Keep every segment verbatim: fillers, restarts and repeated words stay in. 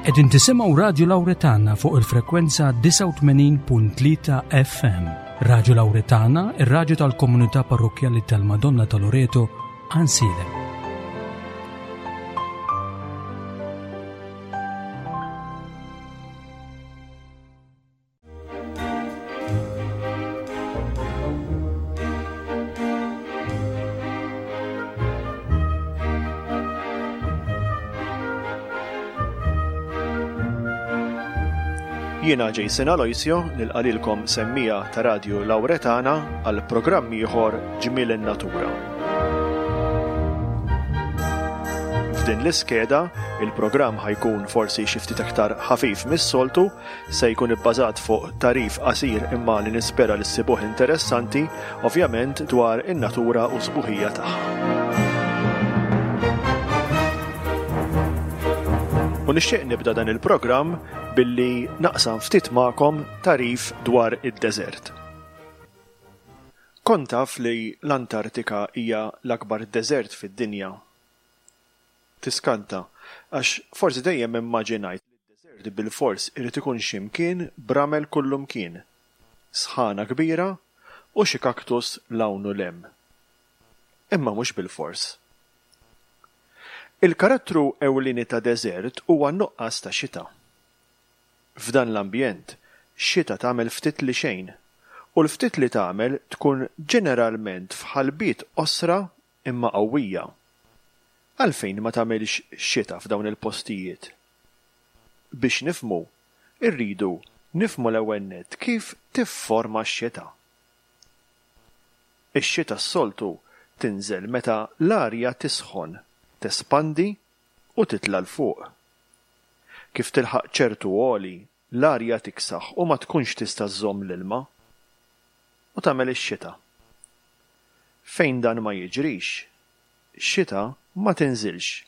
Qegħdin tisimgħu Radju Lawretana fuq il-frekwenza disgħa u tmenin punt tlieta F M. Radju Lawretana, ir-radju tal-komunità parrokkjali tal-Madonna ta' Loreto, Għajnsielem. Jiena Jason Aloisio nilqalilkom semmija ta' Radju Lawretana għal programm ieħor Ġmiel in-Natura. F'din l-iskeda, il-programm ħajkun forsi xi ftit aktar ħafif mis-soltu, se jkun ibbażat fuq tarif qasir imma li nispera li ssibuh interessanti, ovvjament dwar in-natura u sbuħija tagħha. U nixtieq nibda dan il-programm billi naqsam ftit magħkom tarif dwar id-deżert. Kont taf li l-Antartika hija l-akbar deżert fid-dinja? Tiskanta, għax forsi dejjem immaġinajt li d-deżert bil-fors irid ikun x'imkien b'ramel kullumkien, sħana kbira u xi kaktus 'l hawn u 'l hemm. Imma mhux bil-fors. Il-karattru ewlieni ta' deżert huwa n-nuqqas ta' xita. F'dan l-ambjent, xita tagħmel ftit li xejn, u l-ftit li tagħmel tkun ġeneralment f'ħalbiet qosra imma qawwija. Għalfejn ma tagħmilx xita f'dawn il-postijiet? Biex nifhmu, irridu nifhmu l-ewwel nett kif tifforma x-xita. Ix-xita s-soltu tinżel meta l-arja tisħon, tespandi u titla' 'l fuq. Kif tilħaq ċertu għoli, l-arja tiksaħ u ma tkunx tista' żżomm l-ilma u tagħmel ix-xita. Fejn dan ma jiġrix, xita ma tinżilx.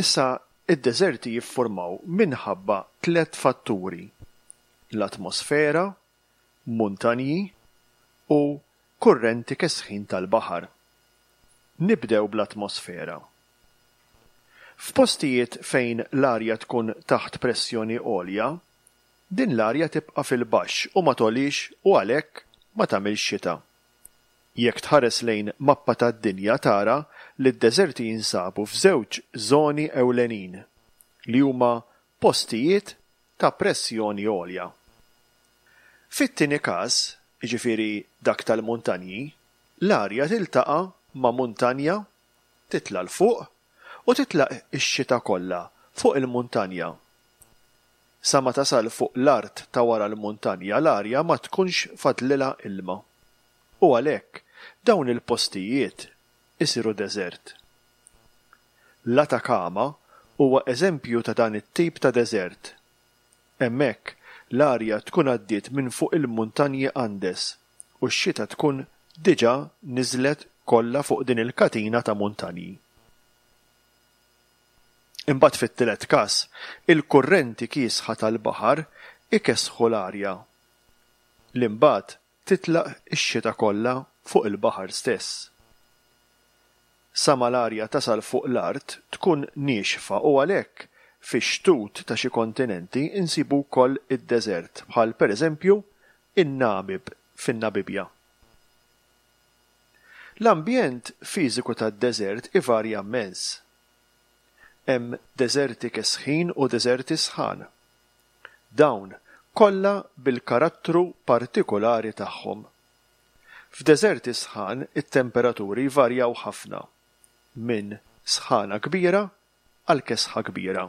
Issa, id-deżerti jiffurmaw minħabba tliet fatturi: l-atmosfera, muntanji u kurrenti kesħin tal-baħar. Nibdew bl-atmosfera. F'postijiet fejn l-arja tkun taħt pressjoni għolja, din l-arja tibqa' fil-baxx u ma togħlix u għalhekk ma tagħmilx xita. Jekk tħares lejn mappa tad-dinja tara li d-deżerti jinsabu f'żewġ żoni ewlenin li huma postijiet ta' pressjoni għolja. Fit-tieni każ, jiġifieri dak tal-muntanji, l-arja tiltaqa' ma' muntanja, titla' 'l fuq u titlaq ix-xita kollha fuq il-muntanja. Sa ma tasal fuq l-art ta' wara l-muntanja, l-arja ma tkunx fadlilha ilma. U għalhekk dawn il-postijiet isiru deżert. L-Atacama huwa eżempju ta' dan it-tip ta' deżert. Hemmhekk l-arja tkun għaddiet minn fuq il-muntanji Andes u x-xita tkun diġà niżlet kollha fuq din il-katina ta' muntanji. Imbagħad fit-tielet każ, il-kurrenti kiesħa tal-baħar ikesħu l-arja li mbagħad titlaq ix-xita kollha fuq il-baħar stess. Sa ma l-arja tasal fuq l-art tkun niexfa u għalhekk fix-xtut ta' xi kontinenti insibu wkoll id-deżert bħal pereżempju in-Namib fin-Namibja. L-ambjent fiżiku tad-deżert ivarja immens. Hemm deżerti kesħin u deżerti sħan. Dawn kollha bil-karattru partikolari tagħhom. F'deżerti sħan it-temperaturi jvarjaw ħafna, minn sħana kbira għal kesħa kbira.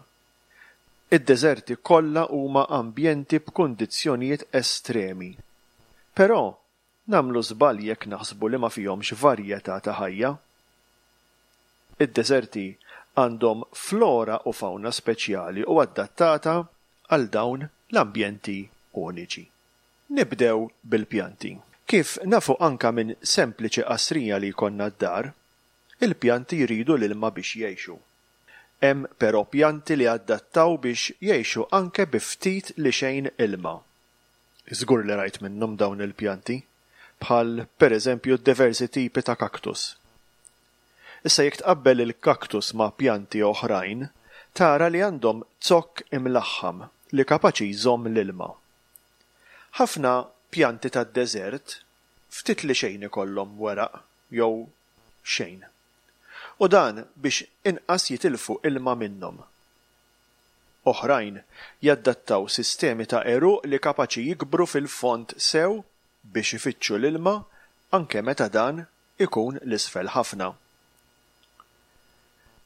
Id-deżerti kollha huma ambjenti b'kundizzjonijiet estremi. Però nagħmlu żball jekk naħsbu li ma fihomx varjetà ta' ħajja. Id-deżerti għandhom flora u fauna speċjali u adattata għal dawn l-ambjenti uniċi. Nibdew bil-pjanti. Kif nafu anka minn sempliċi qasrija li jkollna d-dar, il-pjanti jridu l-ilma biex jgħixu. Hemm però pjanti li adattaw biex jgħixu anke bi ftit li xejn ilma. Żgur li rajt minnhom dawn il-pjanti, bħal pereżempju diversi tipi ta' kaktus. Issa jekk tqabbel il-kaktus ma' pjanti oħrajn, tara li għandhom zokk imlaħħam li kapaċi jżomm l-ilma. Ħafna pjanti tad-deżert ftit li xejn ikollhom weraq jew xejn. U dan biex inqas jitilfu ilma minnhom. Oħrajn jaddattaw sistemi ta' għeruq li kapaċi jikbru fil-fond sew biex ifittxu l-ilma anke meta dan ikun 'l isfel ħafna.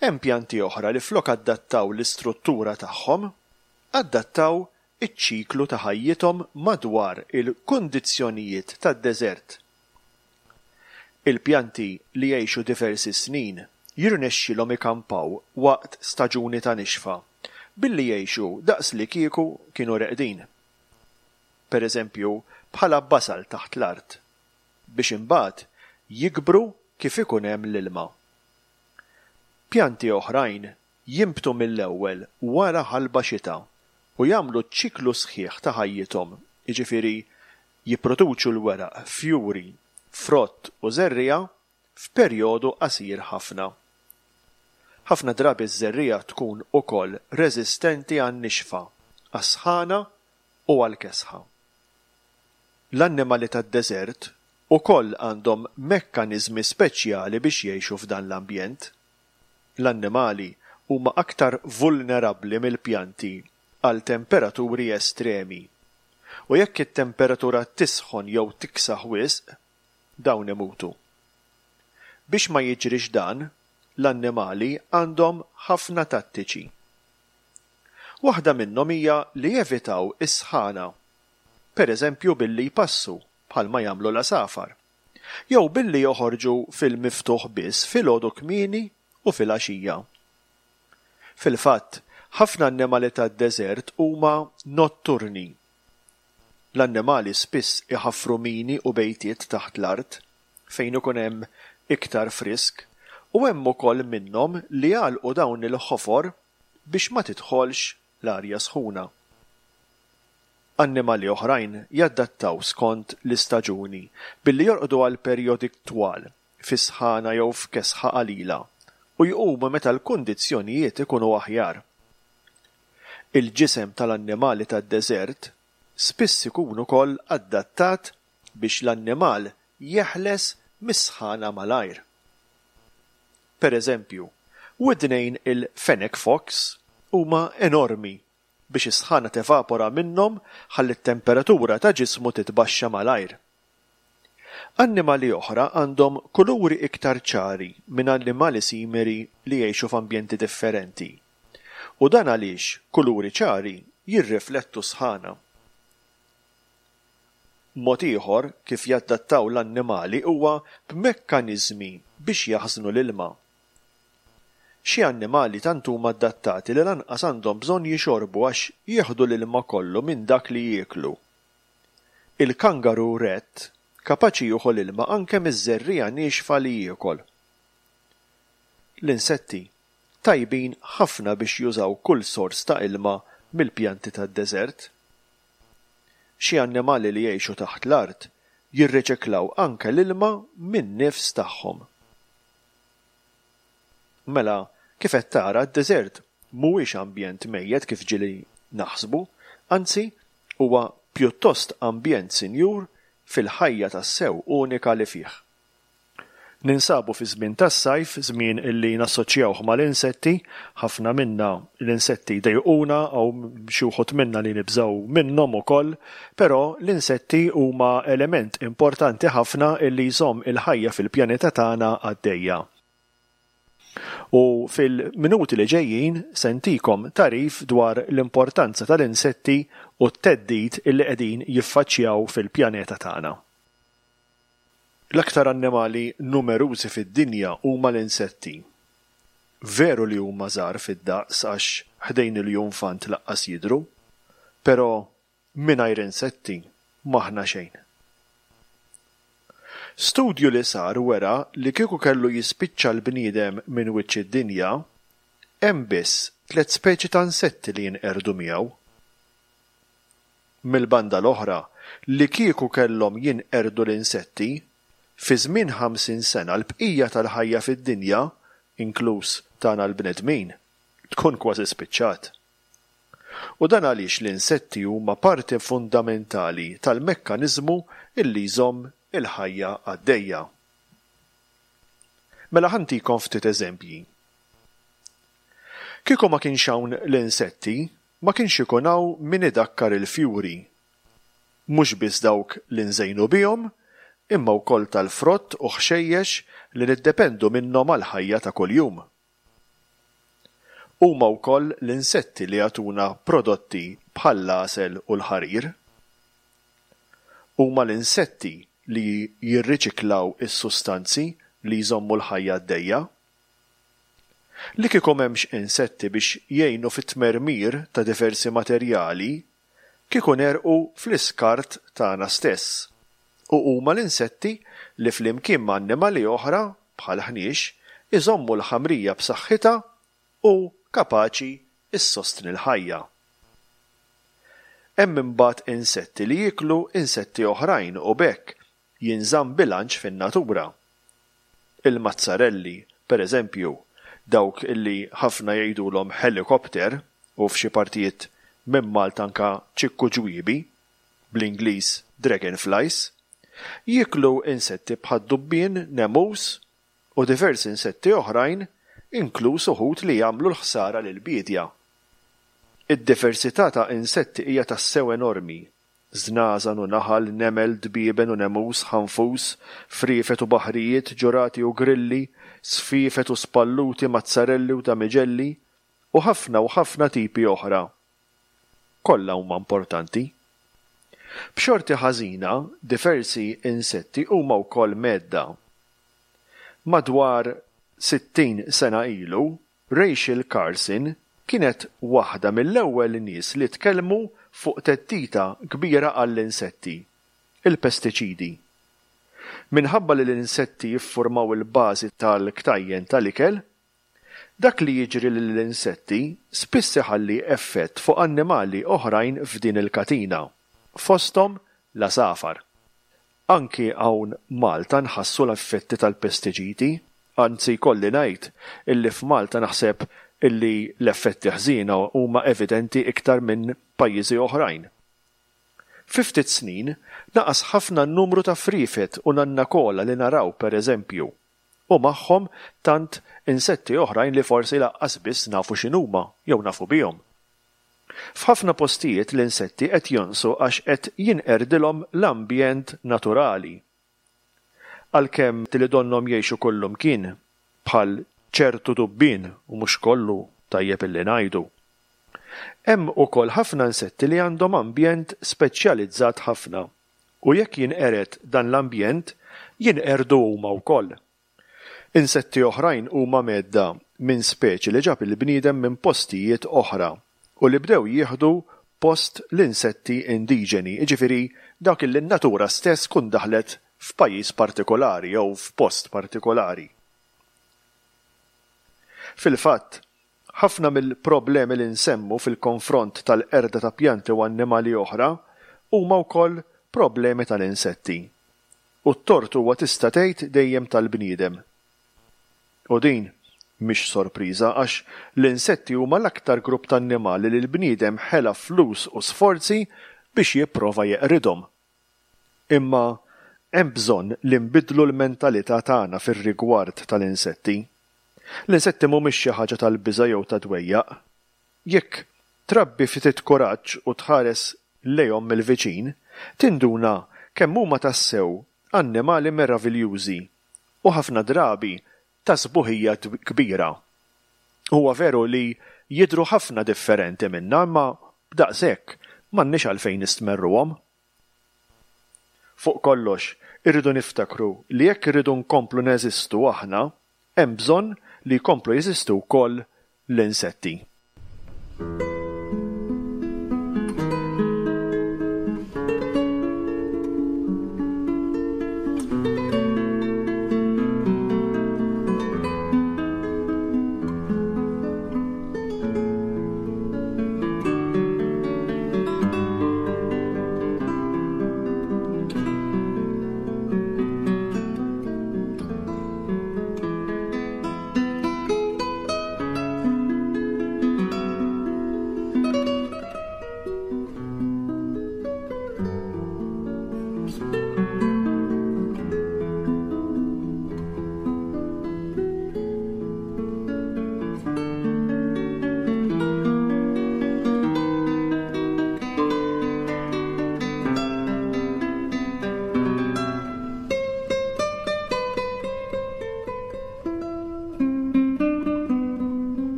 Hemm pjanti oħra li flok adattaw l-istruttura tagħhom, adattaw iċ-ċiklu ta' ħajjithom madwar il-kundizzjonijiet tad-deżert. Il-pjanti li jgħixu diversi snin jirnexxilhom ikampaw waqt staġuni ta' nixfa billi jgħixu daqs li kieku kienu reqdin. Per eżempju, bħala basal taħt l-art, biex imbagħad jikbru kif ikun hemm l-ilma. Pjanti oħrajn jinbtu mill-ewwel wara ħalba xita u jagħmlu ċiklu sħiħ ta' ħajjithom, jiġifieri jipproduċu l-weraq, fjuri, frott u żerriegħa f'perjodu qasir ħafna. Ħafna drabi ż-żerriegħa tkun ukoll reżistenti għan-nixfa, għas-sħana u għall-kesħa. L-annimali tad-deżert ukoll għandhom mekkaniżmi speċjali biex jgħixu f'dan l-ambjent. L-annimali huma aktar vulnerabbli mill-pjanti għal temperaturi estremi. U jekk it-temperatura tisħon jew tiksaħ wisq, dawn imutu. Biex ma jiġrix dan, l-annimali għandhom ħafna tattiċi. Waħda minnhom hija li jevitaw is-sħana, per eżempju billi jpassu bħalma jagħmlu l-għasafar, jew billi joħorġu fil-miftuħ biss filgħodu kmieni u filgħaxija. Fil-fatt, ħafna annimali tad-deżert huma notturni. L-annimali spiss iħaffru mini u bejtiet taħt l-art fejn ikun hemm iktar frisk, u hemm ukoll minnhom li jagħlqu dawn il-ħofor biex ma tidħolx l-arja sħuna. Annimali oħrajn jaddattaw skont l-istaġuni billi jorqdu għal perjodi twal fi sħana jew f'kesħa qalila u jqumu meta l-kundizzjonijiet ikunu aħjar. Il-ġisem tal-annimali tad-deżert spiss ikun ukoll adattat biex l-annimal jeħles mis-sħana malajr. Per eżempju, widnejn il-fennec fox huma enormi biex is-sħana tevapora minnhom ħalli t-temperatura ta' ġismu titbaxxa malajr. Annimali oħra għandhom kuluri iktar ċari minn annimali simili li jgħixu f'ambjenti differenti. U dan għaliex kuluri ċari jirriflettu sħana. Mod ieħor kif jaddattaw l-annimali huwa b'mekkaniżmi biex jaħżnu l-ilma. Xi annimali tant huma adattati li lanqas għandhom bżonn jixorbu għax jieħdu l-ilma kollu minn dak li jieklu. Il-kangaroo rat kapaċi jieħu l-ilma anke miż-żerriegħa niexfa li jiekol. L-insetti tajbin ħafna biex jużaw kull sors ta' ilma mill-pjanti tad-deżert. Xi annimali li jgħixu taħt l-art jirriċiklaw anke l-ilma min-nifs tagħhom. Mela, kif qed tara, d-deżert mhuwiex ambjent mejjet kif ġieli naħsbu, anzi huwa pjuttost ambjent sinjur fil-ħajja tassew unika li fih. Ninsabu fi żmien tas-sajf, żmien illi nassoċjawh mal-insetti, ħafna minna l-insetti jdejquna u xi wħud minna li nibżgħu minnhom ukoll, però l-insetti huma element importanti ħafna illi jżomm il-ħajja fil-pjaneta tagħna għaddejja. U fil-minuti li ġejjin se ntikom tagħrif dwar l-importanza tal-insetti u t-theddid illi qegħdin jiffaċċjaw fil-pjaneta tagħna. L-aktar annimali numerużi fid-dinja huma l-insetti. Veru li huma żgħar fid-daqs għax ħdejn il-iljunfant lanqas jidhru, però mingħajr insetti m'aħna xejn. Studju li sar wera li kieku kellu jispiċċa l-bniedem minn wiċċ id-dinja, hemm biss tliet speċi ta' insetti li jinqerdu miegħu. Mill-banda l-oħra, li kieku kellhom jinqerdu l-insetti, fi żmien ħamsin sena l-bqija tal-ħajja fid-dinja, inkluż tagħna l-bnedmin, tkun kważi spiċċat. U dan għaliex l-insetti huma parti fundamentali tal-mekkaniżmu illi jżomm il-ħajja għaddejja. Mela ħa ntikom ftit eżempji. Kieku ma kienx hawn l-insetti, ma kienx ikun hawn min idakkar il-fjuri. Mhux biss dawk li nżejnu bihom, imma wkoll tal-frott u ħxejjex li niddependu minnhom għall-ħajja ta' kuljum. Huma wkoll l-insetti li jagħtuna prodotti bħall-għasel u l-ħarir. Huma l-insetti li jirriċiklaw is-sustanzi li jżommu l-ħajja għaddejja. Li kieku m'hemmx insetti biex jgħinu fit-tmermir ta' diversi materjali, kieku negħrqu fl-iskart tagħna stess. U huma l-insetti li flimkien ma' annimali oħra bħal ħniex iżommu l-ħamrija b'saħħitha u kapaċi issostni l-ħajja. Hemm imbagħad insetti li jieklu insetti oħrajn u b'hekk jinżamm bilanċ fin-natura. Il-mazzarelli, per eżempju, dawk illi ħafna jgħidulhom helikopter u f'xi partijiet minn Malta anka ċikku ġwiebi, bl-Ingliż dragonflies, jieklu insetti bħad-dubbien, nemus u diversi insetti oħrajn, inkluż uħud li jagħmlu l-ħsara lill-biedja. Id-diversità ta' insetti hija tassew enormi. Żnażan u naħal, nemel, dbieben u nemus, ħanfus, friefet u baħrijiet, ġurati u grilli, sfiefet u spalluti, mazzarelli u damiġelli, u ħafna u ħafna tipi oħra. Kollha huma importanti. B'xorti ħażina, diversi insetti huma wkoll mhedda. Madwar sittin sena ilu, Rachel Carson kienet waħda mill-ewwel nies li tkellmu fuq theddida kbira għall-insetti, il-pestiċidi. Minħabba li l-insetti jiffurmaw il-bażi tal-ktajjen tal-ikel, dak li jiġri lill-insetti spiss iħalli effett fuq annimali oħrajn f'din il-katina, fosthom l-għasafar. Anki hawn Malta nħassu l-effetti tal-pestiċidi, anzi jkolli ngħid illi f'Malta naħseb illi l-effetti ħżiena huma evidenti iktar minn pajjiżi oħrajn. Fi ftit snin naqas ħafna n-numru ta' friefet u nannakola li naraw per eżempju, u magħhom tant insetti oħrajn li forsi laqqas biss nafu x'inhuma jew nafu bihom. F'ħafna postijiet l-insetti qed jonqsu għax qed jinqerdilhom l-ambjent naturali. Għalkemm li donnhom jgħixu kullumkien bħal ċertu dubbien u mhux kollu tajjeb illi ngħidu. Hemm ukoll ħafna insetti li għandhom ambjent speċjalizzat ħafna u jekk jinqered dan l-ambjent jinqerdu huma wkoll. Insetti oħrajn huma mhedda minn speċi li ġab il-bniedem minn postijiet oħra u li bdew jieħdu post l-insetti indiġeni, jiġifieri dawk li n-natura stess tkun daħlet f'pajjiż partikolari jew f'post partikolari. Fil-fatt, ħafna mill-problemi li nsemmu fil-konfront tal-qerda ta' pjanti u annimali oħra huma wkoll problemi tal-insetti. U t-tort huwa tista' tgħid dejjem tal-bniedem. U din mhix sorpriża għax l-insetti huma l-aktar grupp ta' annimali li l-bniedem ħela flus u sforzi biex jipprova jeqridhom. Imma hemm bżonn li nbiddlu l-mentalità tagħna fir-rigward tal-insetti. L-insetti mhumiex xi ħaġa tal-biża' jew ta' dwejjaq. Jekk trabbi ftit kuraġġ u tħares lejhom mill-viċin, tinduna kemm huma tassew annimali meraviljużi u ħafna drabi ta' sbuħija kbira. Huwa veru li jidhru ħafna differenti minna, imma b'daqshekk m'għandniex għalfejn nistmerruhom. Fuq kollox, irridu niftakru li jekk irridu nkomplu neżistu aħna, hemm bżonn li jkomplu jeżistu wkoll l-insetti.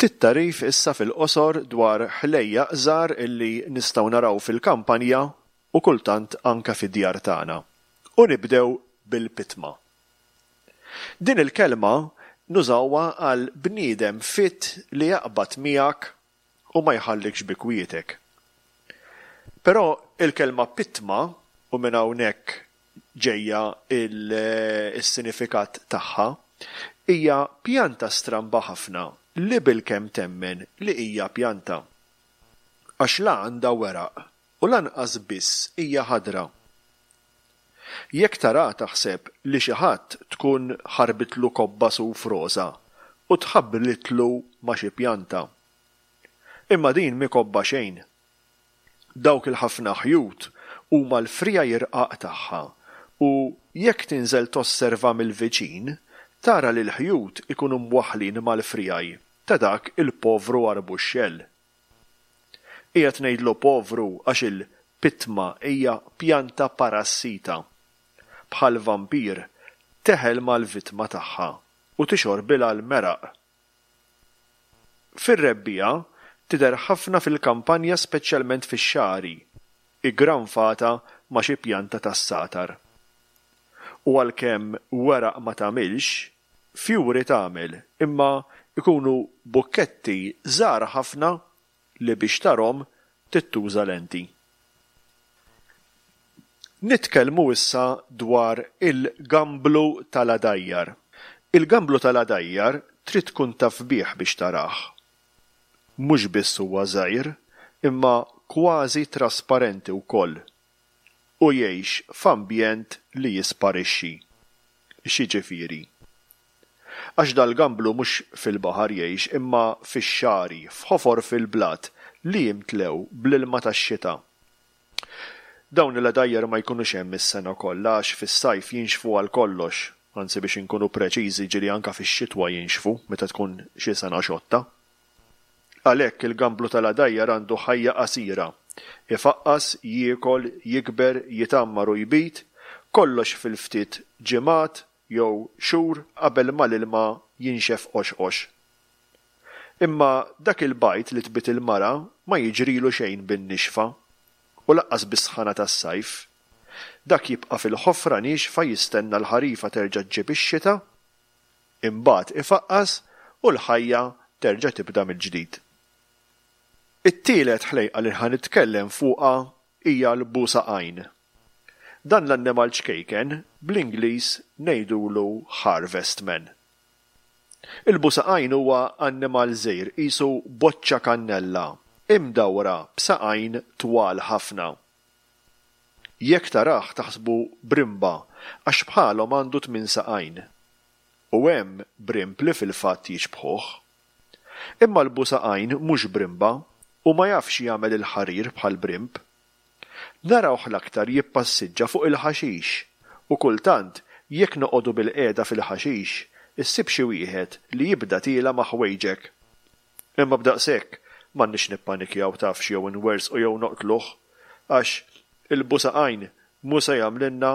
Ftit tagħrif issa fil-qosor dwar ħlejjaq żgħar illi nistgħu naraw fil-kampanja u kultant anke fid-djar tagħna. U nibdew bil-pitma. Din il-kelma nużawha għal bniedem fit li jaqbad miegħek u ma jħallikx bi kwietek. Però il-kelma pitma, u minn hawnhekk ġejja il-sinifikat tagħha, hija pjanta stramba ħafna li bilkemm temmen li hija pjanta. Għax la għandha weraq u lanqas biss hija ħadra. Jekk tara taħseb li xi ħadd tkun ħarbitlu kobba suf roża u tħabblitlu ma' xi pjanta. Imma din mhi kobba xejn. Dawk il-ħafna ħjut huma l-friegħi rqaq tagħha u jekk tinżel tosserva mill-viċin tara li l-ħjut ikunu mwaħħlin mal-friegħi ta' dak il-povru arbuxxell. Qiegħed ngħidlu povru għax il-pitma hija pjanta parassita. Bħal vampir teħel mal-vittma tagħha u tixorbilha l-meraq. Fir-rebbiegħa tidher ħafna fil-kampanja, speċjalment fix-xagħri, iggranfata ma' xi pjanta tas-satar. U għalkemm weraq ma tagħmilx, fjuri tagħmel, imma ikunu bukketti żgħar ħafna li biex tarhom tittuża lenti. Nitkellmu issa dwar il-gamblu tal-għadajjar. Il-gamblu tal-għadajjar trid tkun taf bih biex tarah. Mhux biss huwa żgħir, imma kważi trasparenti wkoll. U jgħix f'ambjent li jisparixxi. X'jiġifieri? Għax dal-gamblu mhux fil-baħar jgħix imma fix-xagħri, f'ħofor fil-blat li jimtlew bl-ilma tax-xita. Dawn il-għadajjar ma jkunux hemm is-sena kollha għax fis-sajf jinxfu għal kollox, anzi biex inkunu preċiżi ġieli anke fix-xitwa jinxfu meta tkun xi sena xotta. Għalhekk il-gamblu tal-għadajjar għandu ħajja qasira. Ifaqqas, jiekol, jikber, jitgħammar u jbid, kollox fil-ftit ġimgħat jew xhur qabel ma l-ilma jinxef qoxqox. Imma dak il-bajd li tbid il-mara ma jiġrilu xejn bin-nixfa u lanqas bis-sħana tas-sajf. Dak jibqa' fil-ħofra niexfa jistenna l-ħarifa terġa' ġġib ix-xita, imbagħad ifaqqas u l-ħajja terġa' tibda mill-ġdid. It-tielet ħlejqa li ħa nitkellem fuqha hija l-busaqajn. Dan l-annimal ċkejken bl-Ingliż ngħidulu harvestman. Il-busaqajn huwa annimal żgħir qisu boċċa kannella imdawra b'saqajn twal ħafna. Jekk tarah taħsbu brimba għax bħalhom għandu tmien saqajn. U hemm brimb li fil-fatt jixbħuh. Imma l-busaqajn mhux brimba u ma jafx jagħmel il-ħarir bħal brimb. Narawh l-aktar jippassiġġa fuq il-ħaxix u kultant jekk noqogħdu bil-qiegħda fil-ħaxix issib xi wieħed li jibda tiela' ma' ħwejġek. Imma b'daqshekk m'għandniex nippanikjaw tafx jew inwersqu jew noqtluh għax il-busaqajn mhu se jagħmlilna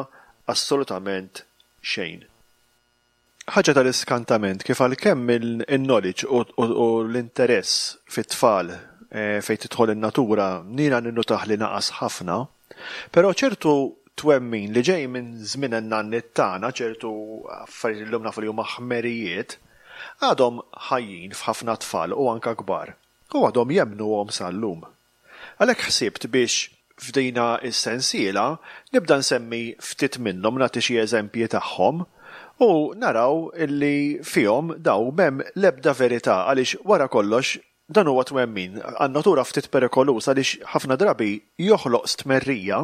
assolutament xejn. Ħaġa tal-iskantament kif għalkemm il-knowledge u l-interess fit-tfal fejn tidħol in-natura nina ninnutah li naqas ħafna, però ċertu twemmin li ġej minn żmien in-nanniet tagħna, ċertu affarijiet li llum nafu li huma ħmerijiet, għadhom ħajjin f'ħafna tfal u anka kbar u għadhom jemmnuhom sal-lum. Għalhekk ħsibt biex f'dina s-sensiela nibda nsemmi ftit minnhom, nagħti xi eżempji tagħhom u naraw illi fihom daw m'hemm l-ebda verità għaliex wara kollox dan huwa twemmin għan-natura ftit perikoluż għaliex ħafna drabi joħloq stmerrija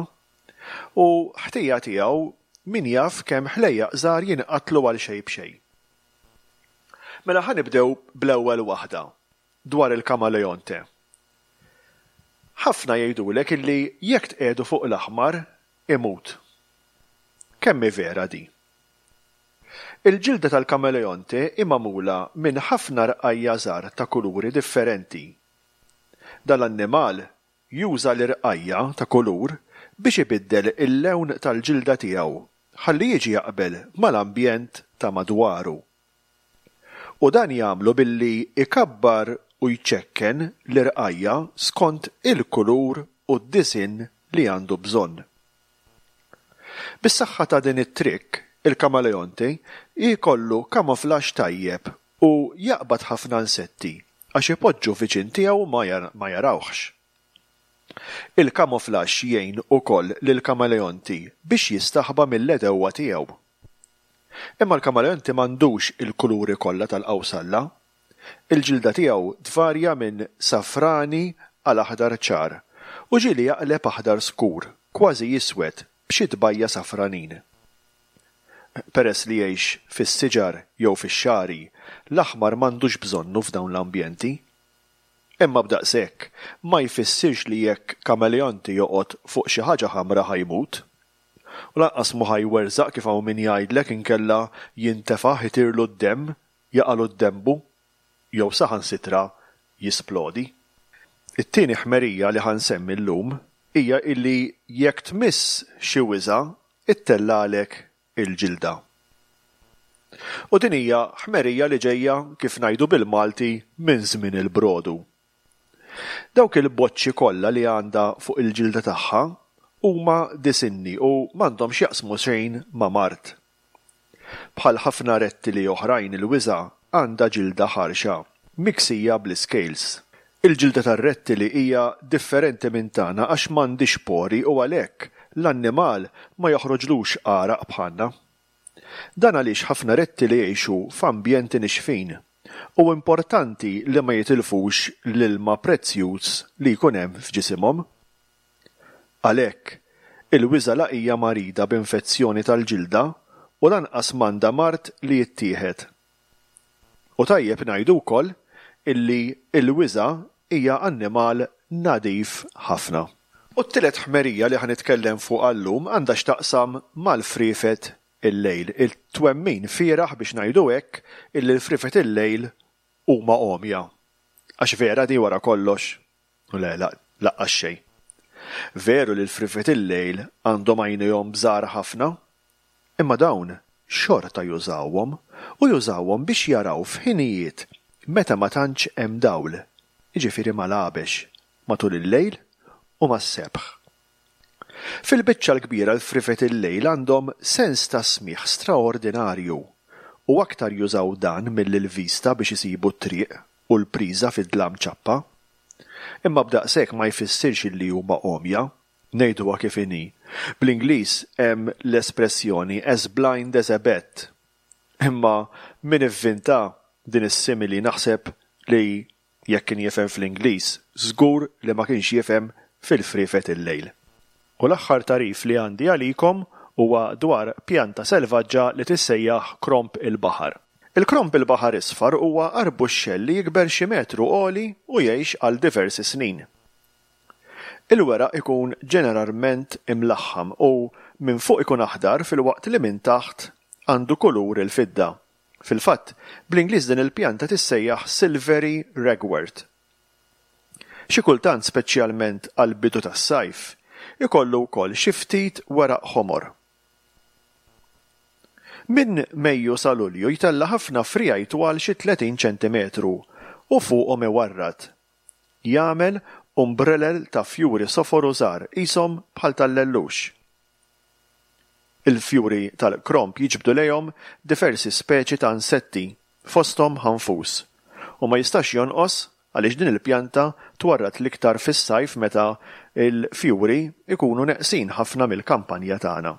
u ħtija tiegħu min jaf kemm ħlejjaq żgħar jinqatlu għal xejn b'xejn. Mela ħa nibdew bl-ewwel waħda dwar il-kamaleonte. Ħafna jgħidulek illi jekk tqiegħdu fuq l-aħmar imut. Kemm hi vera di? Il-ġilda tal-kameleonte hi magħmula minn ħafna rqajja żgħar ta' kuluri differenti. Dal-annimal juża l-irqajja ta' kulur biex ibiddel il-lewn tal-ġilda tiegħu ħalli jiġi jaqbel mal-ambjent ta' madwaru. U dan jagħmlu billi ikabbar u jċekken l-irqajja' skont il-kulur u d-disinn li għandu bżonn. Bis-saħħa ta' din it-trick, il-kamaleonti jkollu camouflage tajjeb u jaqbad ħafna insetti għax ipoġġu viċin tiegħu ma jarawhx. Il-camouflage jgħin ukoll lill-kamaleonti biex jistaħba mill-għedewwa tiegħu. Imma l-kamaleonti m'għandux il-kuluri kollha tal-qawsalla. Il-ġilda tiegħu tvarja minn safrani għal aħdar ċar u ġieli jaqleb aħdar skur, kważi iswed b'xi tbajja safranin. Peress li jgħix fis-siġar jew fix-xagħri, l-aħmar m'għandux bżonnu f'dawn l-ambjenti. Imma b'daqshekk ma jfissirx li jekk kameleonti joqgħod fuq xi ħaġa ħamra ħa jmut. U lanqas mhu ħa jwerżaq kif hawn min jgħidlek inkella jintefaħ itirlu d-demm, jaqalu d-dembu jew saħansitra jisplodi. It-tieni ħmerija li ħa nsemmi llum hija illi jekk tmiss xi wiżgħa ittellagħlek il-ġilda. U din hija ħmerija li ġejja kif ngħidu bil-Malti minn żmien il-brodu. Dawk il-boċċi kollha li għandha fuq il-ġilda tagħha huma disinni u m'għandhomx jaqsmu xejn ma' mard. Bħal ħafna rettili oħrajn il-wiżgħa għandha ġilda ħarxa, miksija bl-iscales. Il-ġilda tar-rettili hija differenti minn tagħna għax m'għandhiex pori u għalhekk l-annimal ma joħroġlux għaraq bħalna. Dan għaliex ħafna rettili jgħixu f'ambjenti nixfin u importanti li ma jitilfux l-ilma prezzjuż li jkun hemm f'ġisimhom. Għalhekk, il-wiżgħa la hija marida b'infezzjoni tal-ġilda u lanqas m'għandha mard li jittieħed. U tajjeb ngħidu wkoll illi l-wiżgħa hija annimal nadif ħafna. U t-tielet ħmerija li ħa nitkellem fuqha llum għandha x'taqsam mal-friefet il-lejl. Il-twemmin fieragħ biex ngħidu hekk illi l-friefet il-lejl huma għomja. Għax vera di wara kollox? U le, laqqas xejn. Veru li l-friefet il-lejl għandhom għajnejhom bżar ħafna, imma dawn xorta jużawhom u jużawhom biex jaraw f'ħinijiet meta ma tantx hemm dawl, jiġifieri mal-għabex, matul il-lejl u mas-sebħ. Fil-biċċa l-kbira l-friefet il-lejl għandhom sens ta' smigħ straordinarju u aktar jużaw dan milli l-vista biex isibu t-triq u l-priża fid-dlam ċappa. Imma b'daqshekk ma jfissirx illi huma għomja, ngħiduha kif inhi. Bl-Ingliż hemm l-espressjoni as blind as a bat. Imma min ivvinta din is-simili naħseb li jekk kien jifhem fl-Ingliż, żgur li ma kienx jifhem fil-friefet il-lejl. U l-aħħar tagħrif li għandi għalikom huwa dwar pjanta selvaġġa li tissejjaħ kromp il-baħar. Il-kromp il-baħar isfar huwa arbuxxell li jikber xi metru għoli u jgħix għal diversi snin. Il-weraq ikun ġeneralment imlaħħam u minn fuq ikun aħdar filwaqt li minn taħt għandu kulur il-fidda. Fil-fatt, bl-Ingliż din il-pjanta tissejjaħ silvery ragwort. Xi kultant speċjalment għall-bidu tas-sajf, ikollu wkoll xi ftit weraq ħomor. Minn Mejju sa Lulju jtella' ħafna friegħi twal xi tletin ċentimetru u fuqhom iwarrad. Jagħmel umbrelel ta' fjuri sofor u żgħar qishom bħal tal-lellux. Il-fjuri tal-kromp jiġbdu lejhom diversi speċi ta' insetti, fosthom ħanfus, u ma jistax jonqos għaliex din il-pjanta twarrad l-iktar fis-sajf meta l-fjuri ikunu neqsin ħafna mill-kampanja tagħna.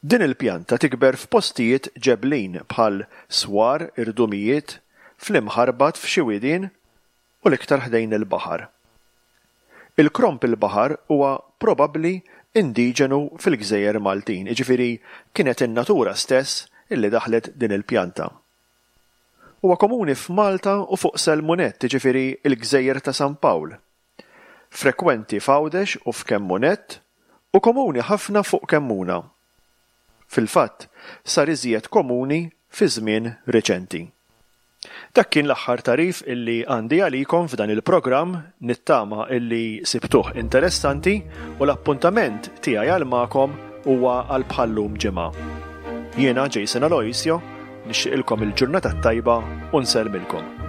Din il-pjanta tikber f'postijiet ġeblin bħal swar, irdumijiet, fl-imħarbat f'xi widien u l-iktar ħdejn il-baħar. Il-kromp il-baħar huwa probabbli indiġenu fil-gżejjer Maltin, jiġifieri kienet in-natura stess illi daħlet din il-pjanta. Huwa komuni f'Malta u fuq Selmunett, jiġifieri l-gżejjer ta' San Pawl. Frekwenti f'Għawdex u f'Kemmunett u komuni ħafna fuq Kemmuna. Fil-fatt, sar iżjed komuni fi żmien riċenti. Dak kien l-aħħar tagħrif illi għandi għalikom f'dan il-programm, nittama illi sibtuh interessanti u l-appuntament tiegħi għal magħkom huwa għal bħallum ġimgħa. Jiena Jason Aloisio, nixtieqilkom il-ġurnata t-tajba u nsellmilkom.